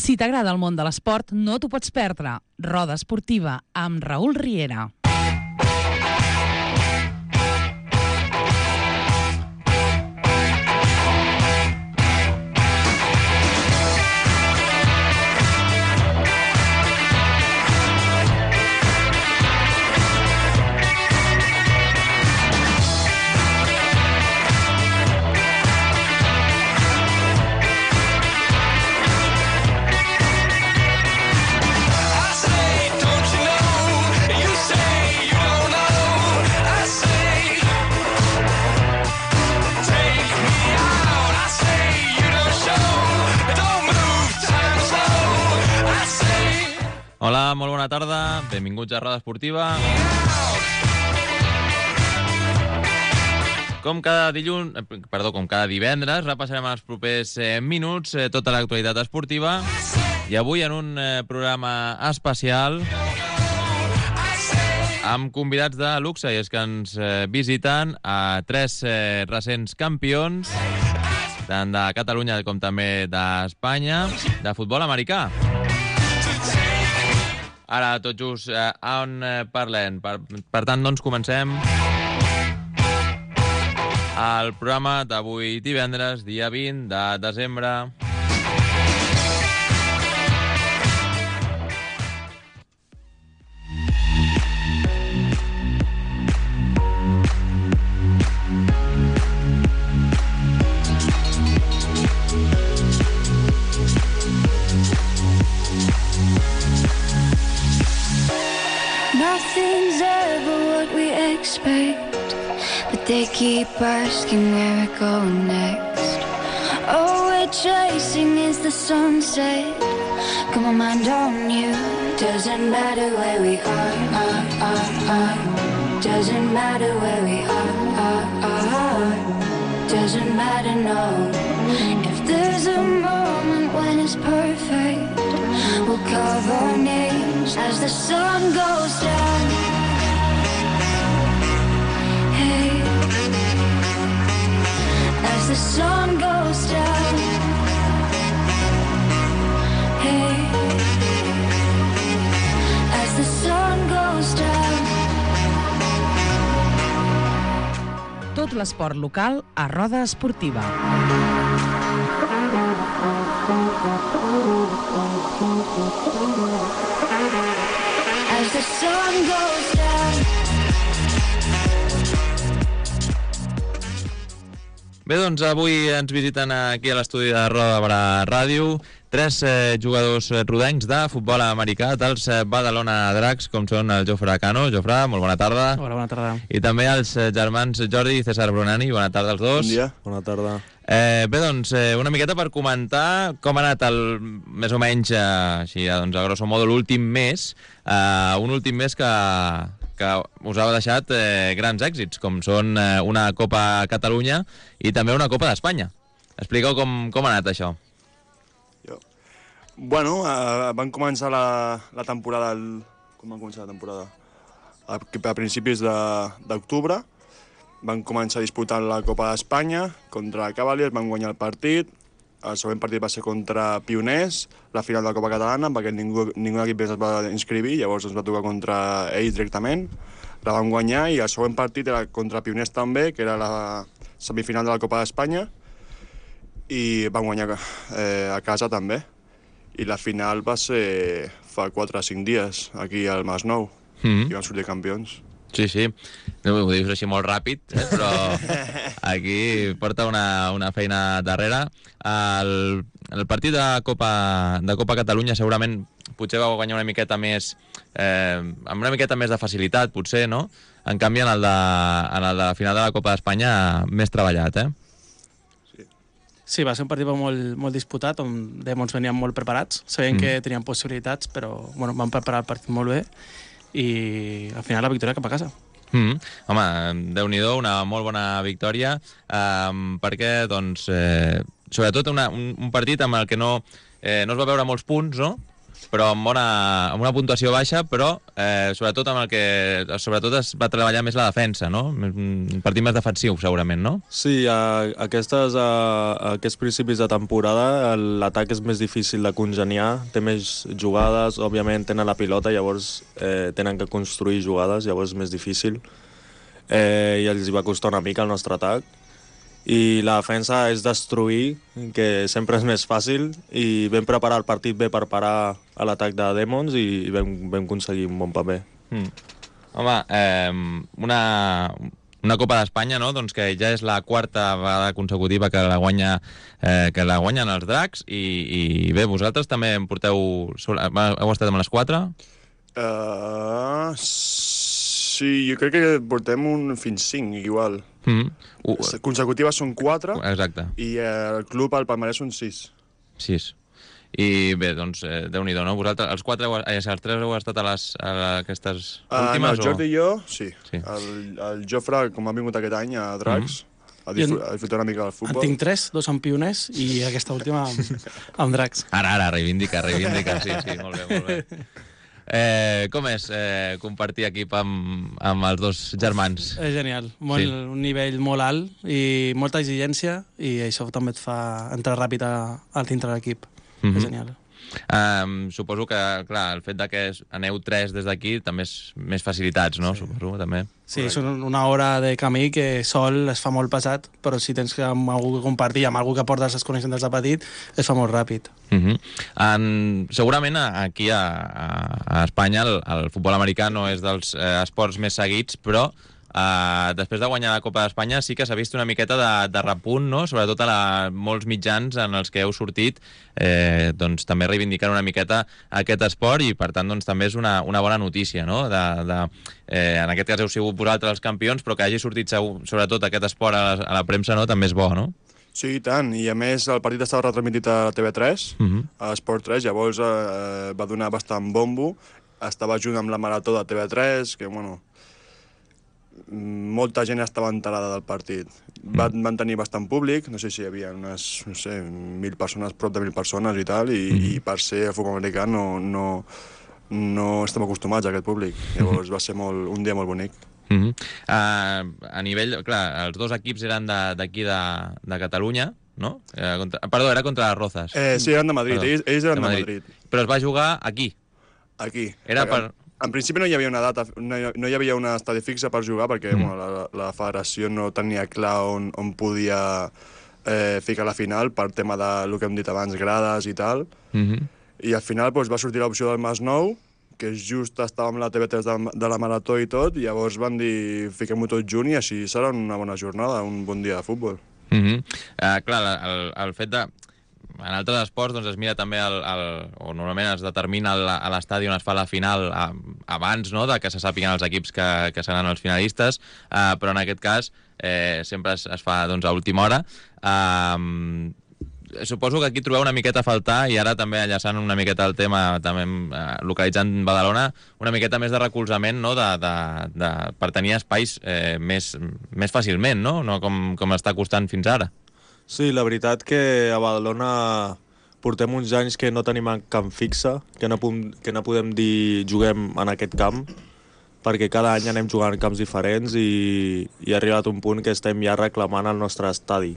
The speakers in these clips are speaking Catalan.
Si t'agrada el món de l'esport, no t'ho pots perdre. Roda Esportiva, amb Raül Riera. Hola, molt bona tarda. Benvinguts a Roda Esportiva. Com cada divendres, repassarem els propers minuts tota l'actualitat esportiva. I avui en un programa especial amb convidats de luxe, i és que ens visiten a tres recents campions, tant de Catalunya com també d'Espanya, de futbol americà. Ara, tot just, on parlem? Per tant, doncs, comencem el programa d'avui divendres, dia 20 de desembre. Nothing's ever what we expect, but they keep asking where we're going next. All we're chasing is the sunset. Got my mind on you. Doesn't matter where we are. Doesn't matter where we are. Doesn't matter, no. If there's a moment when it's perfect, we'll carve our names as the sun goes down. Hey, as the sun goes down. Hey, as the sun goes down. Tot l'esport local a Roda Esportiva. As the sun goes down. Bé, doncs avui ens visiten aquí a l'estudi de Roda Barà Ràdio tres jugadors rodencs de futbol americà dels Badalona Dracs, com són el Jofre Cano. Jofre, molt bona tarda. Hola, bona tarda. I també els germans Jordi i César Brunani. Bona tarda als dos. Bon dia. Bona tarda. Bé, doncs, una miqueta per comentar com ha anat més o menys, així, doncs, a grosso modo, l'últim mes. Un últim mes que us ha deixat grans èxits, com són una Copa Catalunya i també una Copa d'Espanya. Expliqueu com ha anat això. Bueno, van començar la temporada... Com van començar la temporada? A principis d'octubre. Van començar disputant la Copa d'Espanya contra Cavaliers, van guanyar el partit. El següent partit va ser contra Pioners, la final de la Copa Catalana, perquè ningú equip es va inscriure, llavors ens va tocar contra ells directament. La van guanyar i el següent partit era contra Pioners també, que era la semifinal de la Copa d'Espanya, i van guanyar a casa també. I la final va ser fa 4 o 5 dies, aquí al Masnou, i van sortir campions. Sí. No ho dius així molt ràpid, però aquí porta una feina darrere. El partit de Copa Catalunya segurament potser va guanyar una miqueta més, amb una miqueta més de facilitat, potser, no? En canvi, en el de final de la Copa d'Espanya, més treballat, Sí, va ser un partit molt disputat, on ens veníem molt preparats. Sabíem que teníem possibilitats, però vam preparar el partit molt bé i al final la victòria cap a casa. Home, Déu-n'hi-do, una molt bona victòria, perquè, doncs, sobretot un partit amb el que no es va veure molts punts, no? però amb una puntuació baixa, però sobretot es va treballar més la defensa, no? Un partit més defensiu, segurament, no? Sí, aquests principis de temporada l'atac és més difícil de congeniar, té més jugades, òbviament tenen la pilota, llavors tenen que construir jugades, llavors és més difícil, i els va costar una mica el nostre atac. I la defensa és destruir, que sempre és més fàcil, i vam preparar el partit bé per parar a l'atac de Demons i vam aconseguir un bon paper. Home, una Copa d'Espanya, no? Doncs que ja és la quarta vegada consecutiva que la guanyen els Dracs, i bé, vosaltres també en porteu... Heu estat amb les 4? Sí, jo crec que portem fins 5, igual. Consecutives són 4. Exacte. I el club, al palmarès, són 6. 6. I bé, doncs, Déu-n'hi-do, no? Vosaltres, els 3 heu estat a aquestes últimes? No, el Jordi i jo, sí. El Jofre, com ha vingut aquest any a Dracs, a disfrutar una mica del futbol. En tinc 3, 2 amb Pioners i aquesta última amb Dracs. Ara, reivindica, sí, molt bé. Com és compartir equip amb els dos germans? És genial, un nivell molt alt i molta exigència, i això també et fa entrar ràpid al dintre l'equip. És genial. Suposo que, clar, el fet que aneu 3 des d'aquí també és més facilitats, no? Sí. Suposo, també. Sí, és una hora de camí que sol es fa molt pesat, però si tens amb algú que compartir, amb algú que portes les connexions des de petit, es fa molt ràpid. Segurament aquí a Espanya el futbol americà no és dels esports més seguits, però després de guanyar la Copa d'Espanya sí que s'ha vist una miqueta de repunt, no? Sobretot a molts mitjans en els que heu sortit, doncs també reivindicant una miqueta aquest esport, i per tant doncs, també és una bona notícia, no? En aquest cas heu sigut vosaltres els campions, però que hagi sortit sobretot aquest esport a la premsa, no? També és bo, no? Sí, i tant, i a més el partit estava retransmitit a TV3, a Esport 3, llavors va donar bastant bombo, estava junt amb la marató de TV3, que bueno, molta gent estava enterada del partit. Van tenir bastant públic, no sé si hi havia unes, 1.000 persones, prop de 1.000 persones i tal, i per ser futbol americà no estem acostumats a aquest públic. Llavors va ser un dia molt bonic. A nivell, clar, els dos equips eren d'aquí de Catalunya, no? Perdó, era contra les Rozas. Sí, eren de Madrid, ells eren de Madrid. Però es va jugar aquí. Aquí. Era per... En principi no hi havia una data, no hi havia un estadi fixe per jugar, perquè la federació no tenia clar on podia ficar la final, per tema del que hem dit abans, grades i tal. I al final va sortir l'opció del Masnou, que just estava amb la TV3 de la marató i tot, i llavors van dir fiquem-ho tot junt i així serà una bona jornada, un bon dia de futbol. Clar, el fet de... En altres esports doncs, es mira també, o normalment es determina a l'estadi on es fa la final abans, no?, de que se sàpiguen els equips que seran els finalistes, però en aquest cas sempre es fa doncs, a última hora. Suposo que aquí trobeu una miqueta a faltar, i ara també enllaçant una miqueta el tema, també localitzant Badalona, una miqueta més de recolzament, no?, per tenir espais més fàcilment, no com està costant fins ara. Sí, la veritat que a Badalona portem uns anys que no tenim camp fixe, que no podem dir juguem en aquest camp, perquè cada any anem jugant en camps diferents i ha arribat un punt que estem ja reclamant el nostre estadi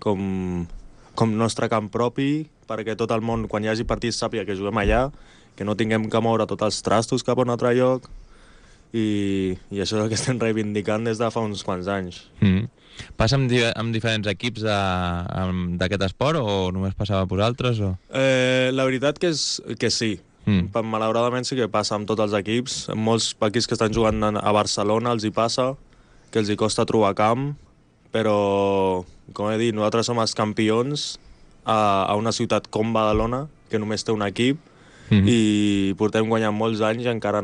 com nostre camp propi, perquè tot el món, quan hi hagi partits, sàpiga que juguem allà, que no tinguem que moure tots els trastos cap a un altre lloc, i això és el que estem reivindicant des de fa uns quants anys. Passa amb diferents equips d'aquest esport, o només passava amb vosaltres? La veritat que sí. Malauradament sí que passa amb tots els equips. Molts equips que estan jugant a Barcelona els hi passa, que els hi costa trobar camp, però, com he dit, nosaltres som els campions a una ciutat com Badalona, que només té un equip, i portem guanyant molts anys i encara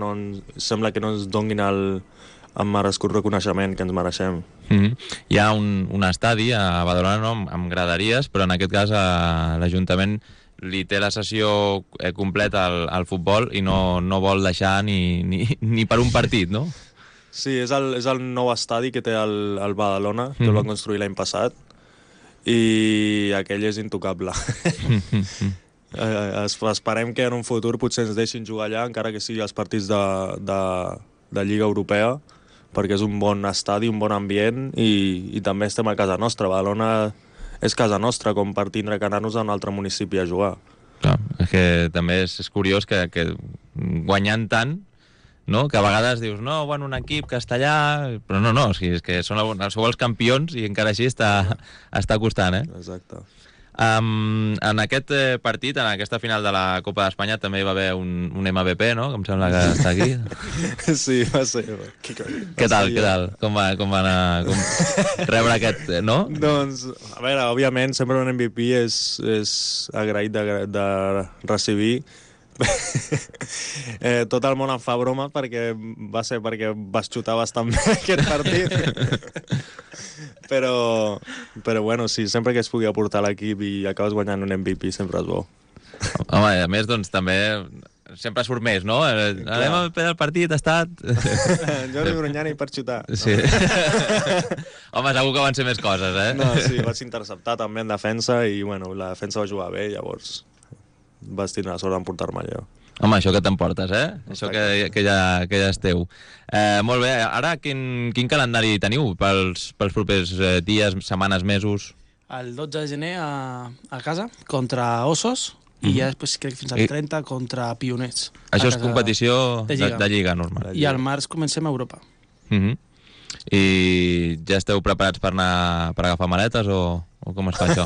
sembla que no ens donguin el merescut reconeixement que ens mereixem. Hi ha un estadi a Badalona amb graderies, però en aquest cas l'Ajuntament li té la sessió completa al futbol i no vol deixar ni per un partit, no? Sí, és el nou estadi que té el Badalona, que el van construir l'any passat, i aquell és intocable. Esperem que en un futur potser ens deixin jugar allà, encara que sigui els partits de Lliga Europea, perquè és un bon estadi, un bon ambient, i també estem a casa nostra. Badalona és casa nostra, com per tindre que anar-nos a un altre municipi a jugar. Clar, és que també és curiós que guanyant tant, no? Que a vegades dius, no, bueno, un equip castellà, però no, o sigui, és que sou els campions i encara així està costant, Exacte. En aquest partit, en aquesta final de la Copa d'Espanya, també hi va haver un MVP, no? Que em sembla que està aquí. Sí, va ser. Què tal? Com va anar? Rebre aquest, no? Doncs, a veure, òbviament, sempre un MVP és agraït de recibir. Tot el món em fa broma perquè vas xutar bastant bé aquest partit. Però bueno, sí, sempre que es pugui aportar a l'equip i acabes guanyant un MVP sempre és bo. Home, a més, doncs, també sempre surt més, no? L'MVP del partit ha estat... Jordi Brunyani per xutar. Sí. Home, segur que van ser més coses, No, sí, vaig interceptar també en defensa i, bueno, la defensa va jugar bé, llavors vas tindre la sort d'emportar-me allò. Home, això que t'emportes, Això que ja és teu. Molt bé, ara quin calendari teniu pels propers dies, setmanes, mesos? El 12 de gener a casa, contra Ossos, i ja després crec que fins al 30 contra Pioners. Això és competició de lliga normal. I al març comencem a Europa. I ja esteu preparats per agafar maletes o com es fa això?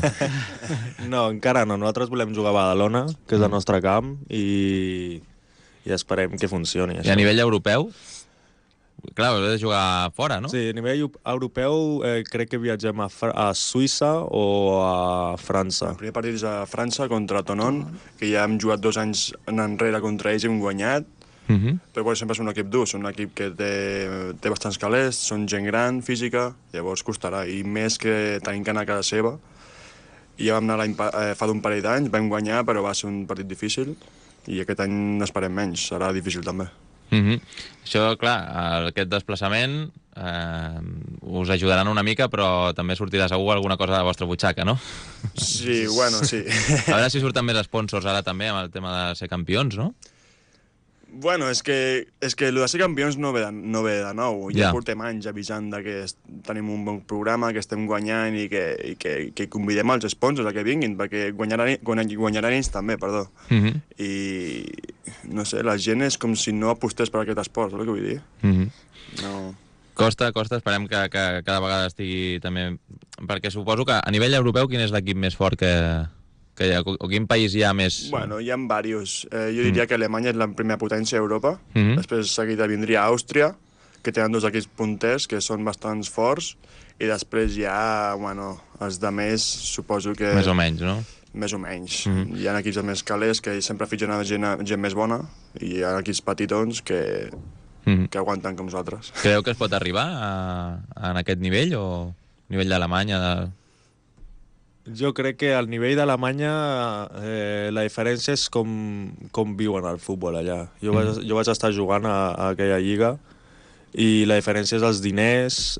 No, encara no. Nosaltres volem jugar a Badalona, que és el nostre camp, i esperem que funcioni. I a nivell europeu? Clar, heu de jugar fora, no? Sí, a nivell europeu crec que viatgem a Suïssa o a França. El primer partit és a França contra Tonon, que ja hem jugat 2 anys enrere contra ells i hem guanyat. Però bueno, sempre és un equip dur, és un equip que té bastants calés, són gent gran, física, llavors costarà, i més que tenim que anar a casa seva. I ja vam anar fa d'un parell d'anys, vam guanyar, però va ser un partit difícil, i aquest any n'esperem menys, serà difícil també. Això, clar, aquest desplaçament us ajudaran una mica, però també sortirà segur alguna cosa de la vostra butxaca, no? Sí, bueno, sí. A veure si surten més sponsors ara també amb el tema de ser campions, no? Bueno, és que el de ser campions no ve de nou. Ja portem anys avisant que tenim un bon programa, que estem guanyant i que convidem els sponsors a que vinguin, perquè guanyaran ells també, perdó. I, no sé, la gent és com si no apostés per aquest esport, saps el que vull dir? No... Costa, esperem que cada vegada estigui també... Perquè suposo que a nivell europeu quin és l'equip més fort que hi ha, o quin país hi ha més... Bueno, hi ha diversos. Jo diria que Alemanya és la primera potència a Europa. Després seguida vindria Àustria, que tenen 2 equips punters que són bastants forts, i després hi ha, bueno, els de més, suposo que... Més o menys, no? Més o menys. Hi ha equips més calés que sempre fitxen gent més bona, i hi ha equips petitons que aguanten com nosaltres. Creu que es pot arribar en aquest nivell, o nivell d'Alemanya? Jo crec que al nivell d'Alemanya la diferència és com viuen el futbol allà. Jo vaig estar jugant a aquella lliga i la diferència és els diners,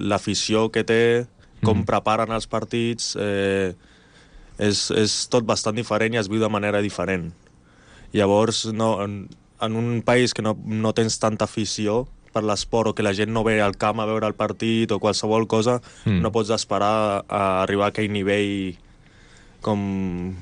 l'afició que té, com preparen els partits, és tot bastant diferent i es viu de manera diferent. Llavors, en un país que no tens tanta afició per l'esport, o que la gent no ve al camp a veure el partit o qualsevol cosa, no pots esperar a arribar a aquell nivell com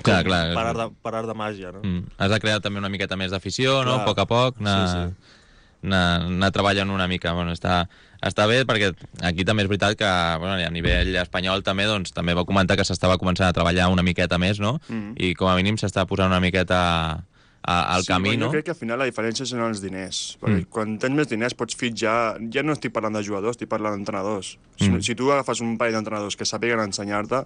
parar de màgia, no? Has de crear també una miqueta més d'afició, no? A poc, anar treballant una mica. Bueno, està bé, perquè aquí també és veritat que a nivell espanyol també va comentar que s'estava començant a treballar una miqueta més, no? I com a mínim s'està posant una miqueta al camí, no? Jo crec que al final la diferència són els diners, perquè quan tens més diners pots fitxar, ja no estic parlant de jugadors, estic parlant d'entrenadors. Si tu agafes un parell d'entrenadors que sàpiguen ensenyar-te,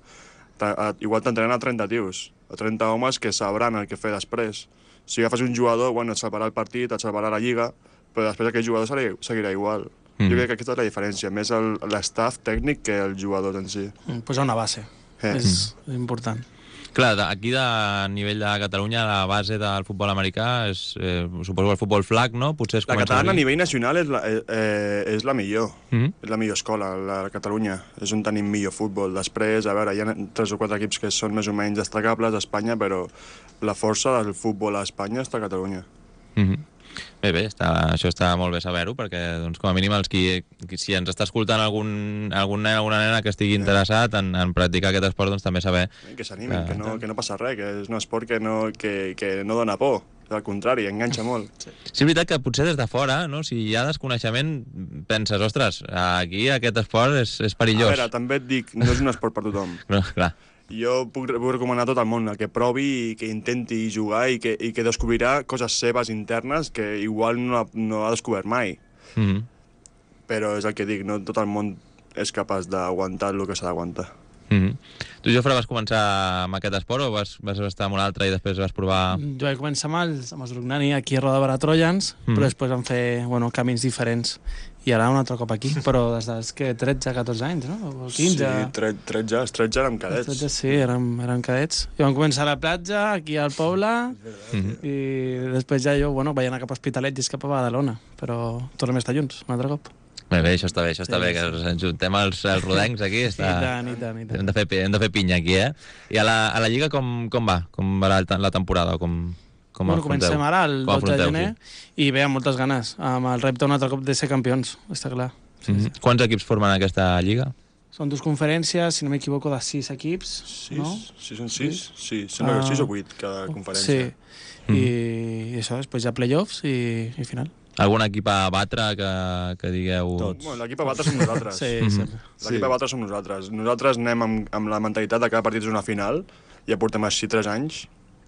igual t'entrenen a 30 tios, a 30 homes que sabran el que fer després. Si agafes un jugador, bueno, et salvarà el partit, et salvarà la lliga, però després aquell jugador seguirà igual. Jo crec que aquesta és la diferència, més l'estaf tècnic que els jugadors en si. Posar una base, és important. Clar, aquí a nivell de Catalunya la base del futbol americà és, suposo, el futbol flag, no? Potser La catalana a nivell nacional és la millor. És la millor escola, la de Catalunya. És on tenim millor futbol. Després, a veure, hi ha 3 o 4 equips que són més o menys destacables a Espanya, però la força del futbol a Espanya està a Catalunya. Bé, això està molt bé saber-ho, perquè doncs, com a mínim si ens està escoltant algun nen o alguna nena que estigui interessat en practicar aquest esport, doncs també saber... Que s'animin, que no passa res, que és un esport que no dona por, al contrari, enganxa molt. Sí, és veritat que potser des de fora, no? Si hi ha desconeixement, penses, ostres, aquí aquest esport és perillós. A veure, també et dic, no és un esport per tothom. No, clar. Jo puc recomanar a tot el món que provi i que intenti jugar i que descobrirà coses seves internes que igual no ha descobert mai. Però és el que dic, no tot el món és capaç d'aguantar el que s'ha d'aguantar. Tu, Jofre, vas començar amb aquest esport o vas estar amb un altre i després vas provar... Jo vaig començar amb els Rognani aquí a Roda de Barà Trojans, però després vam fer camins diferents. I ara un altre cop aquí, però des dels 13-14 anys, no? O 15... Sí, 13 érem cadets. 13, sí, érem cadets. I vam començar a la platja, aquí al poble, i després ja jo, vaig anar cap a Hospitalet i cap a Badalona, però tornem a estar junts, un altre cop. Bé, això està bé, que ens juntem els rodencs aquí. I tant. Hem de fer pinya aquí, eh? I a la Lliga com va? Com va la temporada? Comencem ara el 12 de gener i ve amb moltes ganes, amb el repte un altre cop de ser campions, està clar. Quants equips formen aquesta Lliga? Són 2 conferències, si no m'equivoco, de 6 equips. 6? No? Sí, són 6? Sí, sembla que 6 o 8 cada conferència. Sí, i això, després hi ha playoffs i final. Algun equip a batre que digueu... Tots. Bueno, l'equip a batre som nosaltres. L'equip a batre som nosaltres. Nosaltres anem amb la mentalitat de que cada partit és una final, ja portem així 3 anys,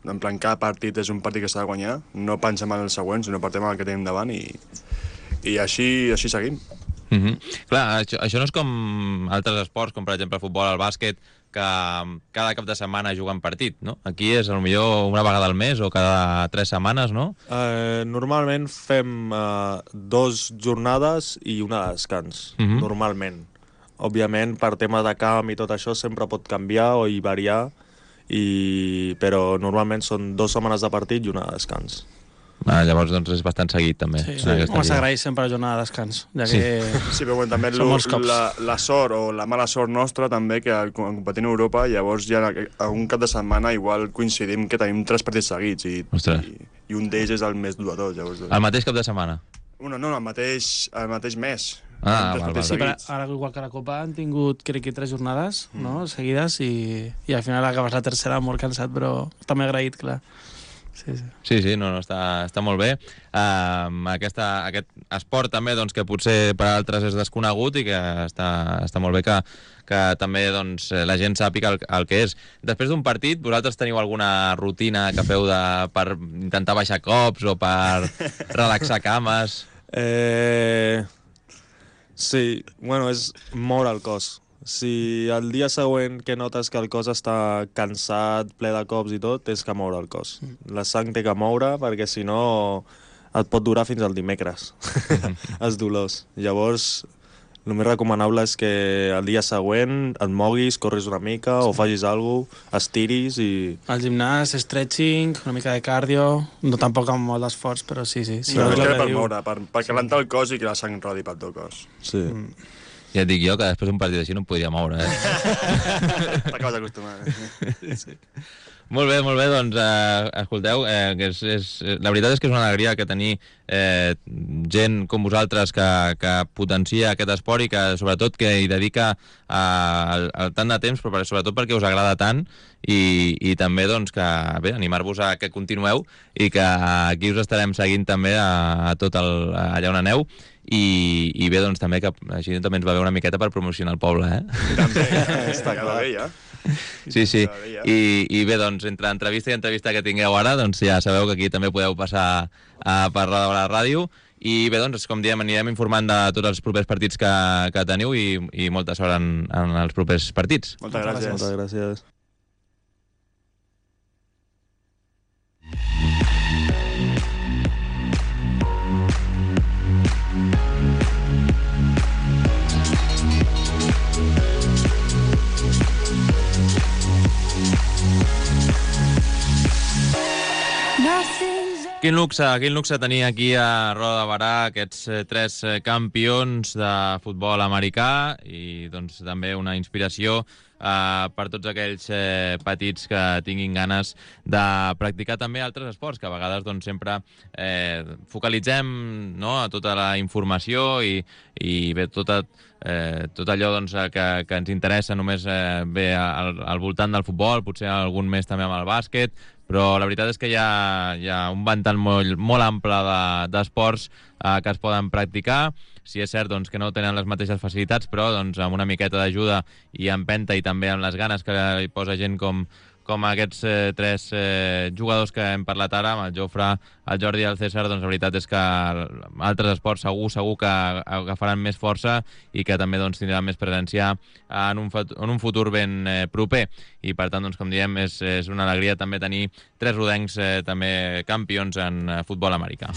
en plan, cada partit és un partit que s'ha de guanyar, no pensem en els següents, sinó partim en el que tenim davant i així seguim. Clar, això no és com altres esports, com per exemple el futbol, el bàsquet, que cada cap de setmana juguen partit, no? Aquí és potser una vegada al mes o cada 3 setmanes, no? Normalment fem 2 jornades i una de descans, normalment. Òbviament, per tema de camp i tot això, sempre pot canviar o variar, però normalment són 2 setmanes de partit i una de descans. Llavors doncs és bastant seguit també. Home, s'agraeix sempre la jornada de descans, ja que sí, però també la sort o la mala sort nostra també, que competint a Europa, llavors ja un cap de setmana igual coincidim que tenim 3 partits seguits i un d'ells és el més dur de tot. El mateix cap de setmana? No, el mateix mes. Sí, però ara igual que la Copa han tingut, crec que 3 jornades seguides i al final acabes la tercera molt cansat, però també agraït, clar. Sí, no, està molt bé. Aquest esport també, doncs, que potser per altres és desconegut i que està molt bé que també doncs, la gent sàpiga el que és. Després d'un partit, vosaltres teniu alguna rutina que feu per intentar baixar cops o per relaxar cames? Sí, és moure el cos. Si el dia següent que notes que el cos està cansat, ple de cops i tot, tens que moure el cos. La sang té que moure perquè si no et pot durar fins al dimecres, els dolors. Llavors, el més recomanable és que el dia següent et moguis, corris una mica o facis alguna cosa, estiris i... Al gimnàs, stretching, una mica de cardio, no tampoc amb molt d'esforç, però sí. No, per moure, per calentar el cos i que la sang rodi pel teu cos. Sí. Ja et dic jo que després d'un partit així no em podria moure, T'acabes d'acostumar. Sí. Molt bé, doncs, escolteu, la veritat és que és una alegria que tenir gent com vosaltres que potencia aquest esport i que sobretot que hi dedica tant de temps, però sobretot perquè us agrada tant i també doncs, que animar-vos a que continueu i que aquí us estarem seguint també a tot allà on aneu i bé, doncs també que així també ens va bé una miqueta per promocionar el poble, També, està clar, ja. Sí. I bé, doncs, entre entrevista i entrevista que tingueu ara, doncs ja sabeu que aquí també podeu passar a parlar de la ràdio. I bé, doncs, com diem, anirem informant de tots els propers partits que teniu i molta sort en els propers partits. Moltes gràcies. Moltes gràcies. Quin luxe tenir aquí a Roda de Barà aquests 3 campions de futbol americà i doncs també una inspiració per tots aquells petits que tinguin ganes de practicar també altres esports, que a vegades doncs, sempre focalitzem, no?, a tota la informació i bé, tot allò doncs, que ens interessa només ve al voltant del futbol, potser algun més també amb el bàsquet, però la veritat és que hi ha un ventall molt ample d'esports que es poden practicar. Sí, és cert doncs, que no tenen les mateixes facilitats, però doncs, amb una miqueta d'ajuda i empenta i també amb les ganes que hi posa gent com aquests 3 jugadors que hem parlat ara, amb el Jofre, el Jordi i el César, doncs la veritat és que altres esports segur que agafaran més força i que també doncs, tindran més presència en un futur ben proper. I per tant, doncs, com diem, és una alegria també tenir 3 rodencs també campions en futbol americà.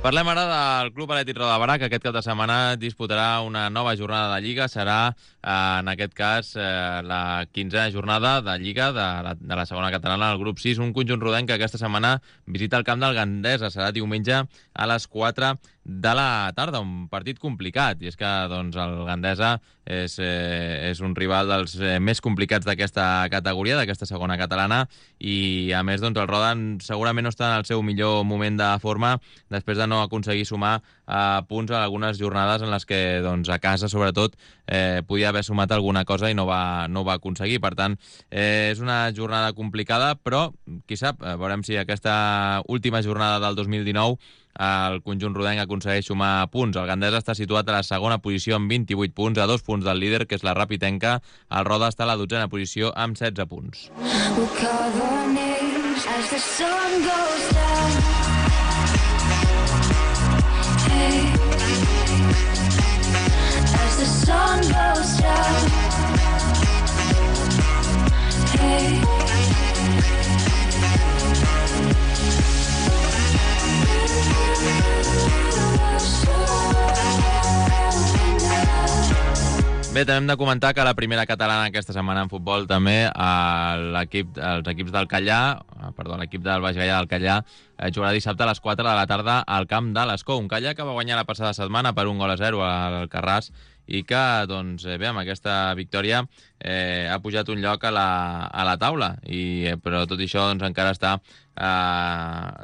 Parlem ara del Club Atlètic Roda de Barà, que aquest cap de setmana disputarà una nova jornada de Lliga. Serà, en aquest cas, la 15a jornada de Lliga de la segona catalana, el grup 6, un conjunt rodenc que aquesta setmana visita el camp del Gandesa. Serà diumenge a les 4 de la tarda, un partit complicat, i és que doncs, el Gandesa és un rival dels més complicats d'aquesta categoria, d'aquesta segona catalana, i a més doncs, el Roda segurament no està en el seu millor moment de forma després de no aconseguir sumar punts a algunes jornades en les que doncs, a casa sobretot podia haver sumat alguna cosa i no va aconseguir. Per tant, és una jornada complicada, però qui sap, veurem si aquesta última jornada del 2019 el conjunt rodenc aconsegueix sumar punts. El Gandesa està situat a la segona posició amb 28 punts, a 2 punts del líder, que és la Rapitenca. El Roda està a la 12a posició amb 16 punts. Bé, també hem de comentar que la primera catalana aquesta setmana en futbol també l'equip del Callà, l'equip del Baix Gaià del Callà jugarà dissabte a les 4 de la tarda al camp de l'Escó. Un Callà que va guanyar la passada setmana per 1-0 al Carràs i que, doncs, bé, amb aquesta victòria ha pujat un lloc a la taula, però tot això doncs, encara està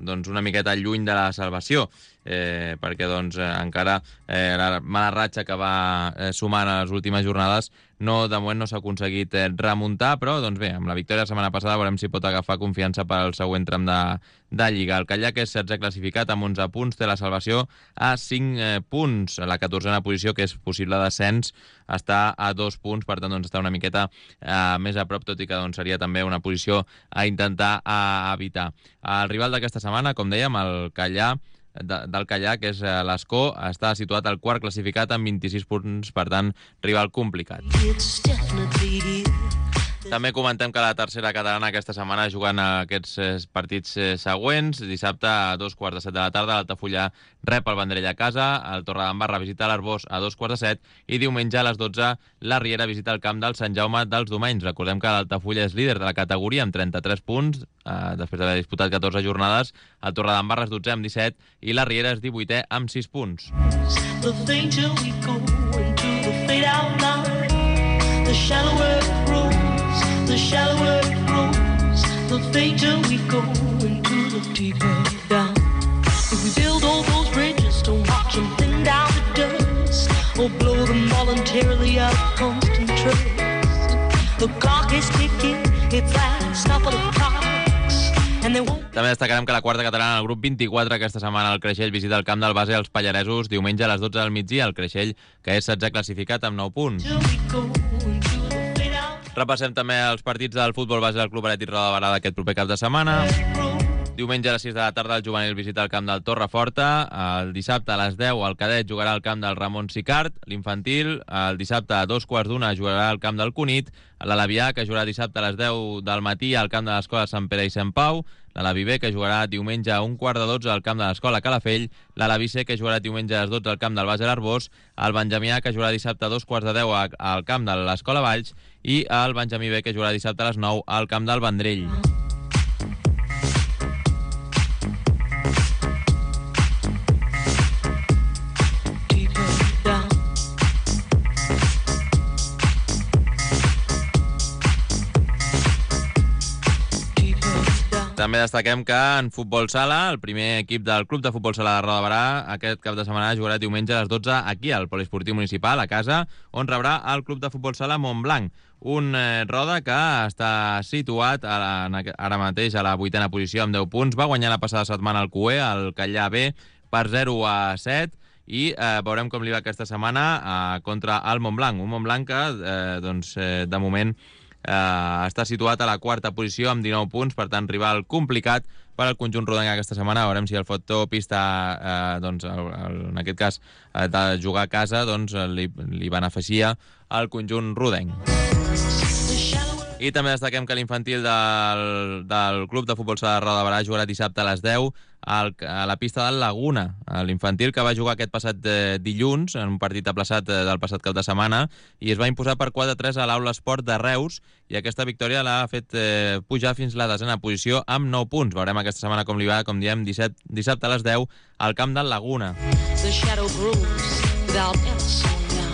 doncs, una miqueta lluny de la salvació, perquè doncs, encara la mala ratxa que va sumant a les últimes jornades de moment no s'ha aconseguit remuntar, però doncs bé, amb la victòria la setmana passada veurem si pot agafar confiança per al següent tram de Lliga. El Callà, que és 16è classificat amb 11 punts, té la salvació a 5 punts. A la 14a posició, que és possible descens, està a 2 punts, per tant doncs, està una miqueta més a prop, tot i que doncs, seria també una posició a intentar evitar. El rival d'aquesta setmana, com dèiem, el Callà, del Callà, que és l'Escó, està situat al 4 classificat amb 26 punts, per tant, rival complicat. També comentem que la tercera catalana aquesta setmana jugant aquests partits següents. Dissabte a 2:15 de la tarda l'Altafulla rep el Vendrell a casa, el Torredembarra visita l'Arbós a 2:15 i diumenge a les 12 la Riera visita el camp del Sant Jaume dels Domenys. Recordem que l'Altafulla és líder de la categoria amb 33 punts, després d'haver disputat 14 jornades. El Torredembarra és 12è amb 17 i la Riera és 18è amb 6 punts. The shallower it grows, the fainter we go into the deeper down. If we build all those bridges to watch them thin down to dust, or blow them voluntarily out of constant trust, the clock is ticking, its last couple of clocks, and they won't... També destacarem que la quarta catalana, el grup 24, aquesta setmana el Creixell visita el camp del Base als Pallaresos diumenge a les 12 del migdia. El Creixell, que és 16è classificat amb 9 punts. Repassem també els partits del futbol base del Club Atlètic Roda de Barà d'aquest proper cap de setmana. Diumenge a les 6 de la tarda el juvenil visita el camp del Torreforta. El dissabte a les 10 el cadet jugarà al camp del Ramon Sicart. L'infantil el dissabte a 2:15 jugarà al camp del Cunit. L'Alavià, que jugarà dissabte a les 10 del matí al camp de l'Escola Sant Pere i Sant Pau. L'Alavi B, que jugarà diumenge a 11:45 al camp de l'Escola Calafell. L'Alavi C, que jugarà diumenge a les 12 al camp del Base l'Arbós. El Benjamí A, que jugarà dissabte a 2:15 al camp de l'Escola Valls. I el Benjamí B, que jugarà dissabte a les 9 al camp del Vendrell. També destaquem que en futbol sala, el primer equip del Club de Futbol Sala de Roda de Barà aquest cap de setmana jugarà diumenge a les 12 aquí al Poliesportiu Municipal, a casa, on rebrà el Club de Futbol Sala Montblanc. Un Roda que està situat ara mateix a la 8a posició amb 10 punts. Va guanyar la passada setmana el CUE, el Callà B, per 0-7, i veurem com li va aquesta setmana contra el Montblanc. Un Montblanc que, de moment, està situat a la 4a posició amb 19 punts, per tant, rival complicat per al conjunt rodenc aquesta setmana. Veurem si el factor pista, en aquest cas, de jugar a casa, li beneficia al conjunt rodenc. I també destaquem que l'infantil del Club de Futbol Sala de Roda de Barà jugarà dissabte a les 10 a la pista del Laguna. L'infantil que va jugar aquest passat dilluns en un partit aplaçat del passat cap de setmana i es va imposar per 4-3 a l'Aula Esport de Reus, i aquesta victòria l'ha fet pujar fins la 10a posició amb 9 punts. Veurem aquesta setmana com li va, com diem, dissabte a les 10 al camp del Laguna. The shadow grows without ever slowing down.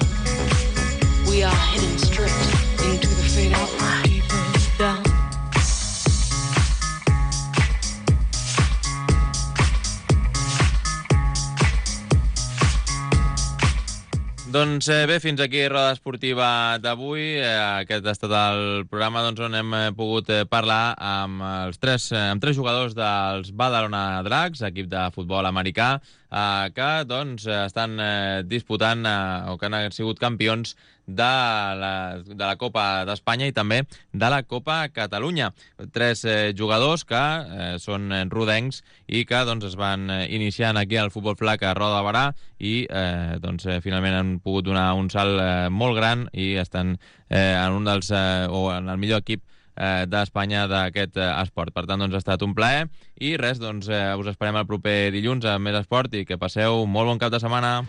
We are heading straight into the fade out line. Down. Doncs bé, fins aquí Roda Esportiva d'avui. Aquest ha estat el programa on hem pogut parlar amb tres jugadors dels Badalona Dracs, equip de futbol americà, que estan disputant o que han sigut campions de la Copa d'Espanya i també de la Copa Catalunya. Tres jugadors que són rodencs i que es van iniciant aquí al futbol flac a Roda de Barà i finalment han pogut donar un salt molt gran i estan en en el millor equip d'Espanya d'aquest esport. Per tant, ha estat un plaer i res, us esperem el proper dilluns amb més esport i que passeu un molt bon cap de setmana.